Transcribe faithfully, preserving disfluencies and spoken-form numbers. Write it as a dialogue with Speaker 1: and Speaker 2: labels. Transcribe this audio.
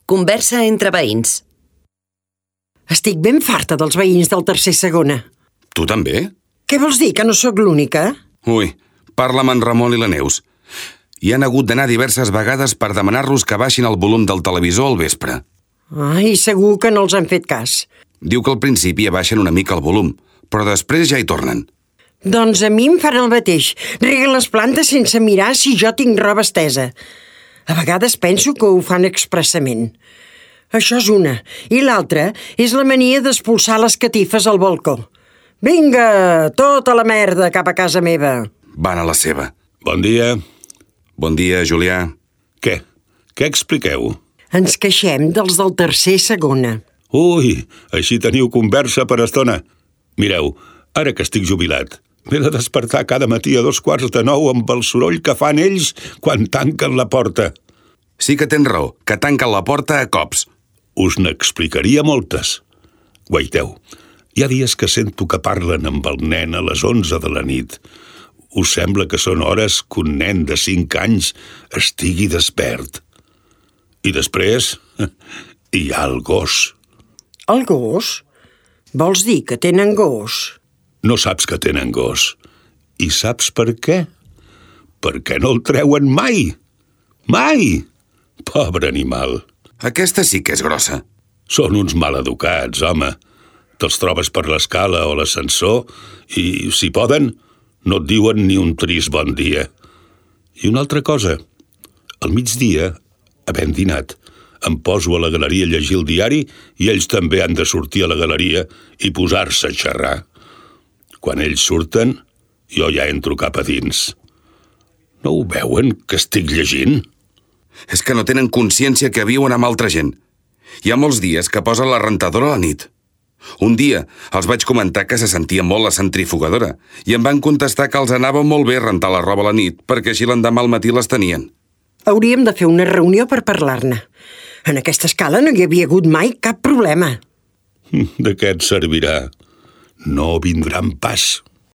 Speaker 1: Conversa entre veïns.
Speaker 2: Estic ben farta dels veïns del tercer segona.
Speaker 3: Tu també?
Speaker 2: Què vols dir, que no sóc l'única?
Speaker 3: Ui, parla amb en Ramon i la Neus. Hi han hagut d'anar diverses vegades per demanar-los que baixin el volum del televisor al vespre.
Speaker 2: Ai, segur que no els han fet cas.
Speaker 3: Diu que al principi abaixen una mica el volum, però després ja hi tornen.
Speaker 2: Doncs a mi em fan el mateix. Reguen les plantes sense mirar si jo tinc roba estesa. A vegades penso que ho fan expressament. Això és una. I l'altra és la mania d'expulsar les catifes al balcó. Vinga, tota la merda cap a casa meva.
Speaker 3: Van a la seva.
Speaker 4: Bon dia.
Speaker 3: Bon dia, Julià.
Speaker 4: Què? Què expliqueu?
Speaker 2: Ens queixem dels del tercer segona.
Speaker 4: Ui, així teniu conversa per estona. Mireu, ara que estic jubilat, m'he de despertar cada matí a dos quarts de nou amb el soroll que fan ells quan tanquen la porta.
Speaker 3: Sí que tens raó, que tanquen la porta a cops.
Speaker 4: Us n'explicaria moltes. Guaiteu, hi ha dies que sento que parlen amb el nen a les onze de la nit. Us sembla que són hores que un nen de cinc anys estigui despert. I després hi ha el gos.
Speaker 2: El gos? Vols dir que tenen gos?
Speaker 4: No saps que tenen gos. I saps per què? Perquè no el treuen mai. Mai! Pobre animal.
Speaker 3: Aquesta sí que és grossa.
Speaker 4: Són uns maleducats, home. Te'ls trobes per l'escala o l'ascensor i, si poden, no et diuen ni un trist bon dia. I una altra cosa. Al migdia, havent dinat, em poso a la galeria a llegir el diari i ells també han de sortir a la galeria i posar-se a xerrar. Quan ells surten, jo ja entro cap a dins. No ho veuen, que estic llegint?
Speaker 3: És que no tenen consciència que viuen amb altra gent. Hi ha molts dies que posen la rentadora a la nit. Un dia els vaig comentar que se sentia molt la centrifugadora i em van contestar que els anava molt bé rentar la roba a la nit perquè així l'endemà al matí les tenien.
Speaker 2: Hauríem de fer una reunió per parlar-ne. En aquesta escala no hi havia hagut mai cap problema.
Speaker 4: De què et servirà? No vindran pas.